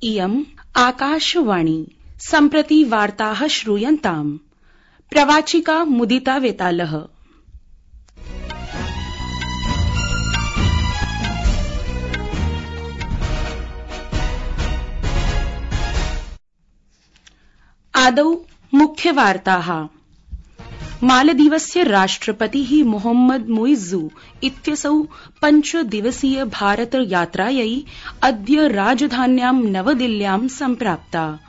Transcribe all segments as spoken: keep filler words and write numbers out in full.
इयम् आकाशवाणी सम्प्रति वार्ताः श्रूयन्ताम्। प्रवाचिका मुदिता वेतालः। आदौ मुख्यवार्ताः। मालदीवस्य राष्ट्रपतिः मोहम्मद मुइज्जू इत्यसौ पञ्चदिवसीय भारत यात्रायै अद्य राजधान्यां नवदिल्ल्यां सम्प्राप्ता।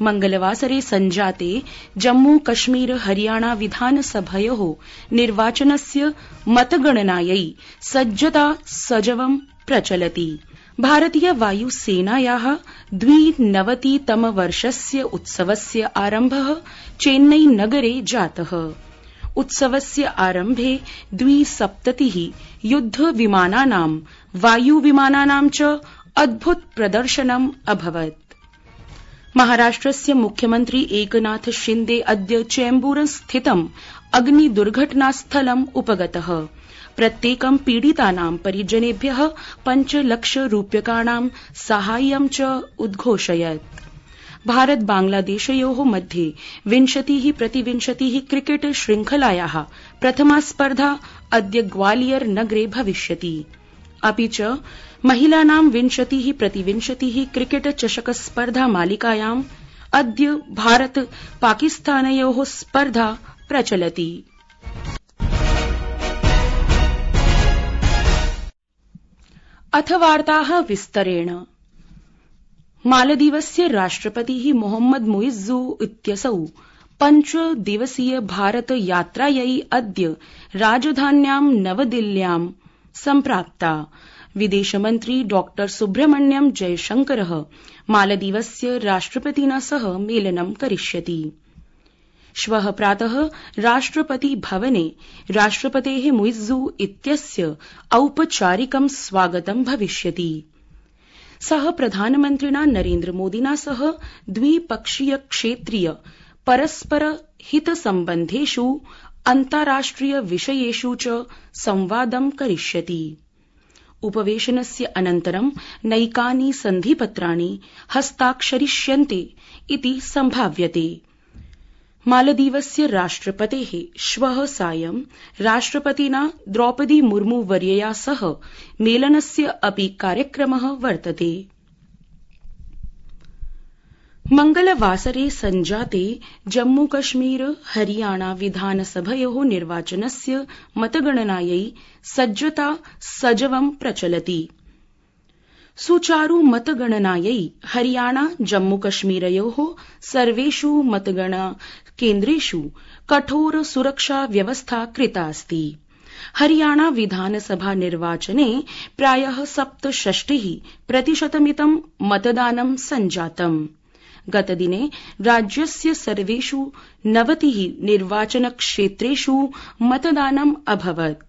मंगलवासरे सञ्जाते जम्मू कश्मीर हरियाणा विधानसभयोः निर्वाचनस्य मतगणनायै सज्जता सजवं प्रचलति। भारतीय वायुसेनायाः द्विनवतितमवर्षस्य उत्सवस्य आरम्भः चेन्नई नगरे जातः। उत्सवस्य आरम्भे द्विसप्ततिः युद्धविमानानां वायुविमानानां च अद्भुत प्रदर्शनम् अभवत्। महाराष्ट्रस्य मुख्यमन्त्री एकनाथ शिन्दे अद्य चेम्बूर स्थितम् अग्निदुर्घटनास्थलम् उपगतः। प्रत्येकं पीडितानां परिजनेभ्यः पञ्चलक्षरूप्यकाणां साहाय्यं च उद्घोषयत्। भारत बांग्लादेशयोः मध्ये विंशतिः प्रतिविंशतिः क्रिकेट श्रृंखलायाः प्रथमा स्पर्धा अद्य ग्वालियर नगरे भविष्यति। अपि च महिलानां विंशतिः प्रतिविंशतिः क्रिकेट चषक स्पर्धा मालिकायाम् अद्य भारत पाकिस्तानयोः स्पर्धा प्रचलति। अथ वार्ताः विस्तरेण। मालदीवस्य राष्ट्रपतिः मोहम्मद मुइज्जू इत्यसौ पञ्चदिवसीय भारत यात्रायै अद्य राजधान्यां नवदिल्ल्यां सम्प्राप्ता। विदेशमन्त्री डॉ सुब्रह्मण्यम जयशंकरः मालदीवस्य राष्ट्रपतिना सह मेलनं करिष्यति। श्वः प्रातः राष्ट्रपति भवने राष्ट्रपतेः मुइज्जू इत्यस्य औपचारिकं स्वागतं भविष्यति। सः प्रधानमन्त्रिणा नरेन्द्रमोदिना सह द्विपक्षीय क्षेत्रीय परस्पर हितसम्बन्धेषु अन्ताराष्ट्रिय विषयेषु च संवादं करिष्यति। उपवेशनस्य अनन्तरं नैकानि सन्धिपत्राणि हस्ताक्षरिष्यन्ते इति सम्भाव्यते। मालदीवस्य राष्ट्रपतेः श्वः सायं राष्ट्रपतिना द्रौपदी मुर्मू वर्यया सह मेलनस्य अपि कार्यक्रमः वर्तते। मंगलवासरे सञ्जाते जम्मूकश्मीर हरियाणा विधानसभयोः निर्वाचनस्य मतगणनायै सज्जता सजवं प्रचलति। सुचारु मतगणनायै हरियाणा जम्मूकश्मीरयोः सर्वेषु मतगणना केन्द्रेषु कठोर सुरक्षा व्यवस्था कृता अस्ति। हरियाणा विधानसभा निर्वाचने प्रायः सप्तषष्टिः प्रतिशतमितं मतदानं सञ्जातम्। गतदिने राज्यस्य सर्वेषु नवतिः निर्वाचनक्षेत्रेषु मतदानम् अभवत्।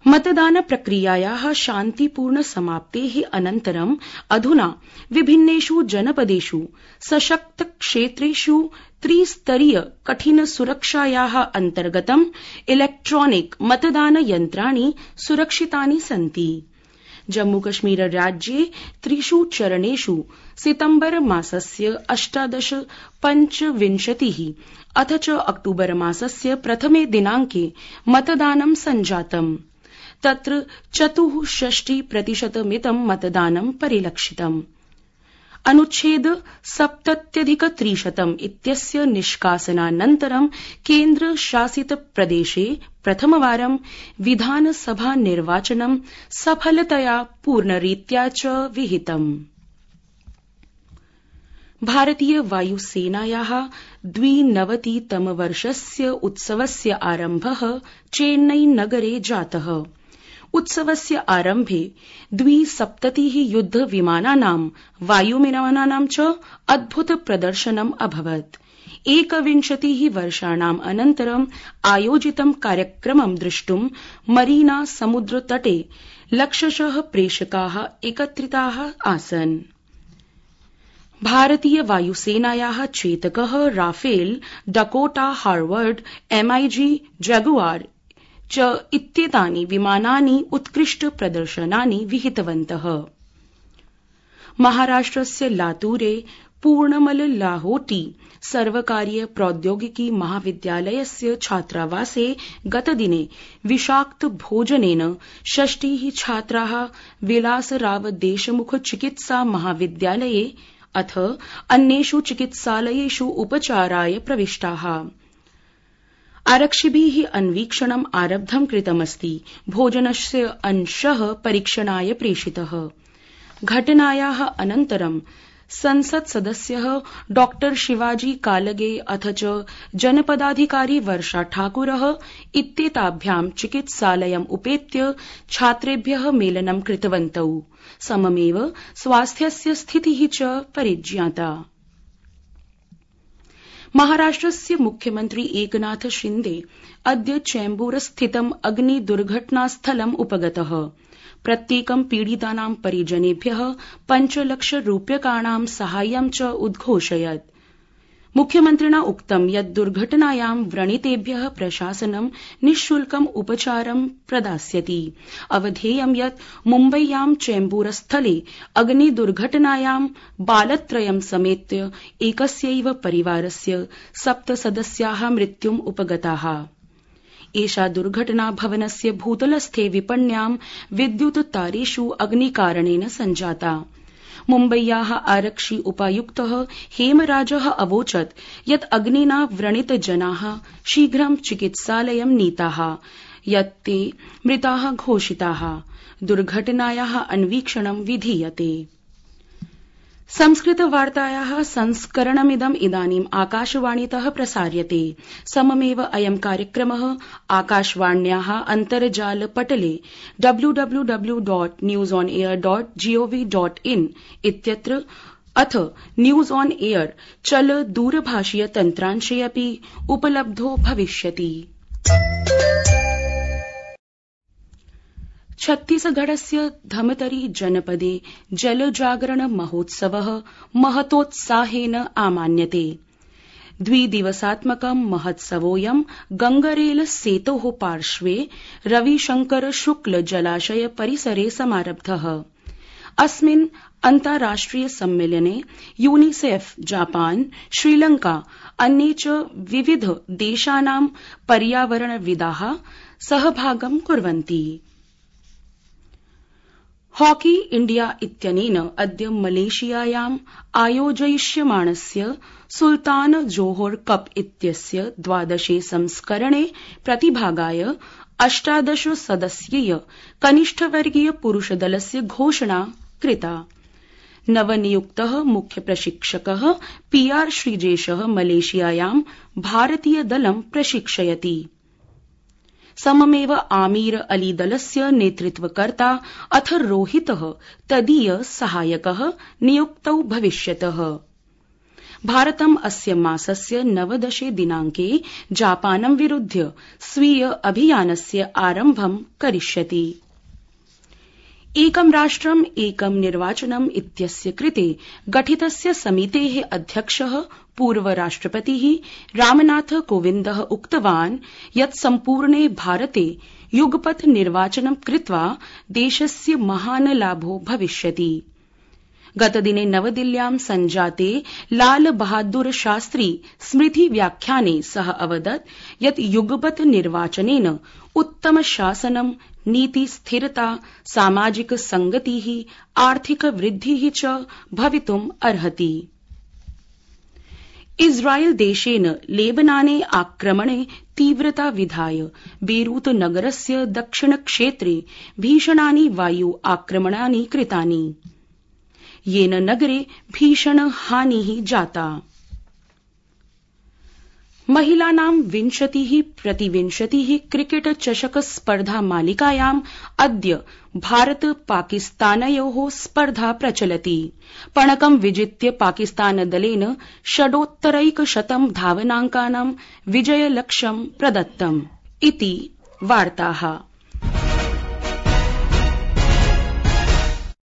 मतदान प्रक्रियायाः शान्तिपूर्ण समाप्तेः अनन्तरं अधुना विभिन्नेषु जनपदेषु सशक्त क्षेत्रेषु त्रिस्तरीय कठिन सुरक्षायाः अन्तर्गतं इलेक्ट्रॉनिक मतदान यन्त्राणि सुरक्षितानि सन्ति। जम्मूकश्मीर राज्ये त्रिषु चरणेषु सितम्बर मासस्य अष्टादश पञ्चविंशतिः अथ च अक्टूबर मासस्य प्रथमे दिनाङ्के मतदानं सञ्जातम्। तत्र चतुःषष्टि प्रतिशतमितं मतदानं परिलक्षितम्। अनुच्छेद सप्तत्यधिक त्रिशतम् इत्यस्य निष्कासनानन्तरं केन्द्रशासित प्रदेशे प्रथमवारं विधानसभा निर्वाचनं सफलतया पूर्णरीत्या च विहितम्। भारतीय वायुसेनायाः द्विनवतितमवर्षस्य उत्सवस्य आरम्भः चेन्नई नगरे जातः। उत्सवस्य आरम्भे द्विसप्ततिः युद्धविमानानां वायुविमानानां च अद्भुत प्रदर्शनम् अभवत्। एकविंशतिः वर्षाणाम् अनन्तरम् आयोजितं कार्यक्रमं द्रष्टुं मरीना समुद्रतटे लक्षशः प्रेक्षकाः एकत्रिताः आसन्। भारतीय वायुसेनायाः चेतकः Rafale Dakota Harvard M I G Jaguar च इत्येतानि विमानानि उत्कृष्ट प्रदर्शनानि विहितवन्तः। महाराष्ट्रस्य लातूरे पूर्णमल लाहोटी सर्वकारीय प्रौद्योगिकी महाविद्यालयस्य छात्रावासे गतदिने विषाक्त भोजनेन षष्टिः छात्राः विलासराव देशमुख चिकित्सा महाविद्यालये अथ अन्येषु चिकित्सालयेषु उपचाराय प्रविष्टाः। आरक्षिभिः अन्वीक्षणम् आरब्धं कृतमस्ति। भोजनस्य अंशः परीक्षणाय प्रेषितः। घटनायाः अनन्तरं संसत् सदस्यः डॉक्टर शिवाजी कालगे अथ च जनपदाधिकारी वर्षा ठाकुरः इत्येताभ्यां चिकित्सालयम् उपेत्य छात्रेभ्यः मेलनं कृतवन्तौ। सममेव स्वास्थ्यस्य स्थितिः च परिज्ञाता। महाराष्ट्रस्य मुख्यमन्त्री एकनाथ शिन्दे अद्य चेम्बूरस्थितम् अग्निदुर्घटनास्थलम् उपगतः। प्रत्येकं पीडितानां परिजनेभ्यः पञ्चलक्ष रूप्यकाणां साहाय्यं च उद्घोषयत्। मुख्यमन्त्रिणा उक्तं यत् दुर्घटनायां व्रणितेभ्यः प्रशासनं निःशुल्कम् उपचारं प्रदास्यति। अवधेयं यत् मुम्बय्यां चेम्बूरस्थले अग्निदुर्घटनायां बालत्रयं समेत्य एकस्यैव परिवारस्य सप्तसदस्याः मृत्युम् उपगताः। एषा दुर्घटना भवनस्य भूतलस्थे विपण्यां विद्युत तारेषु अग्निकारणेन सञ्जाता। मुम्बय्याः आरक्षि उपायुक्तः हेमराजः अवोचत् यत् अग्निना व्रणितजनाः शीघ्रं चिकित्सालयं नीताः, यत् ते मृताः घोषिताः। दुर्घटनायाः अन्वीक्षणं विधीयते। संस्कृतवार्तायाः संस्करणमिदम् इदानीम् आकाशवाणीतः प्रसार्यते। सममेव अयं कार्यक्रमः आकाशवाण्याः अन्तर्जालपटले W W W dot news on air dot G O V dot in इत्यत्र अथ न्यूज ऑन एयर चल दूरभाषीय तन्त्रांशे अपि उपलब्धो भविष्यति। छत्तीसगढ़स्य धमतरी जनपदे जलजागरण महोत्सवः महतोत्साहेन आमान्यते। द्विदिवसात्मकं महोत्सवोऽयं गंगरेल सेतोः पार्श्वे रविशंकर शुक्ल जलाशय परिसरे समारब्धः। अस्मिन् अन्ताराष्ट्रिय सम्मेलने यूनिसेफ, जापान, श्रीलंका, अन्ये च विविध देशानां पर्यावरणविदाः सहभागं कुर्वन्ति। हॉकी इंडिया इत्यनेन अद्य मलेशियायाम् आयोजयिष्यमाणस्य सुल्तान जोहोर कप इत्यस्य द्वादशे संस्करणे प्रतिभागाय अष्टादश सदस्यीय कनिष्ठवर्गीय पुरुषदलस्य घोषणा कृता। नवनियुक्तः मुख्य प्रशिक्षकः पी आर श्रीजेशः मलेशियायां भारतीय दलं प्रशिक्षयति। सममेव आमीर अली दलस्य नेतृत्वकर्ता अथ रोहितः तदीय सहायकः नियुक्तौ भविष्यतः। भारतम् अस्य मासस्य नवदशे दिनाङ्के जापानं विरुध्य स्वीय अभियानस्य आरम्भं करिष्यति। एकं राष्ट्रम् एकं निर्वाचनम् इत्यस्य कृते गठितस्य समितेः अध्यक्षः पूर्वराष्ट्रपतिः रामनाथ कोविन्दः उक्तवान् यत् सम्पूर्णे भारते युगपत् निर्वाचनं कृत्वा देशस्य महान् लाभो भविष्यति। गतदिने नवदिल्ल्यां सञ्जाते लाल बहादुर शास्त्री स्मृति व्याख्याने सः अवदत् यत् युगपत् निर्वाचनेन उत्तम शासनं, नीति स्थिरता, सामाजिक संगतिः, आर्थिक वृद्धिः च भवितुम् अर्हति। इस्राएल देशेन लेबनाने आक्रमणे तीव्रता विधाय बेरूत नगरस्य दक्षिणक्षेत्रे भीषणानि वायु आक्रमणानि कृतानि, येन नगरे भीषण हानिः जाता। महिलानां विंशतिः प्रतिविंशतिः क्रिकेट चषक स्पर्धा मालिकायाम् अद्य भारत पाकिस्तानयोः स्पर्धा प्रचलति। पणकं विजित्य पाकिस्तानदलेन षडोत्तरैकशतं धावनाङ्कानां विजयलक्ष्यं प्रदत्तम्। इति वार्ताः।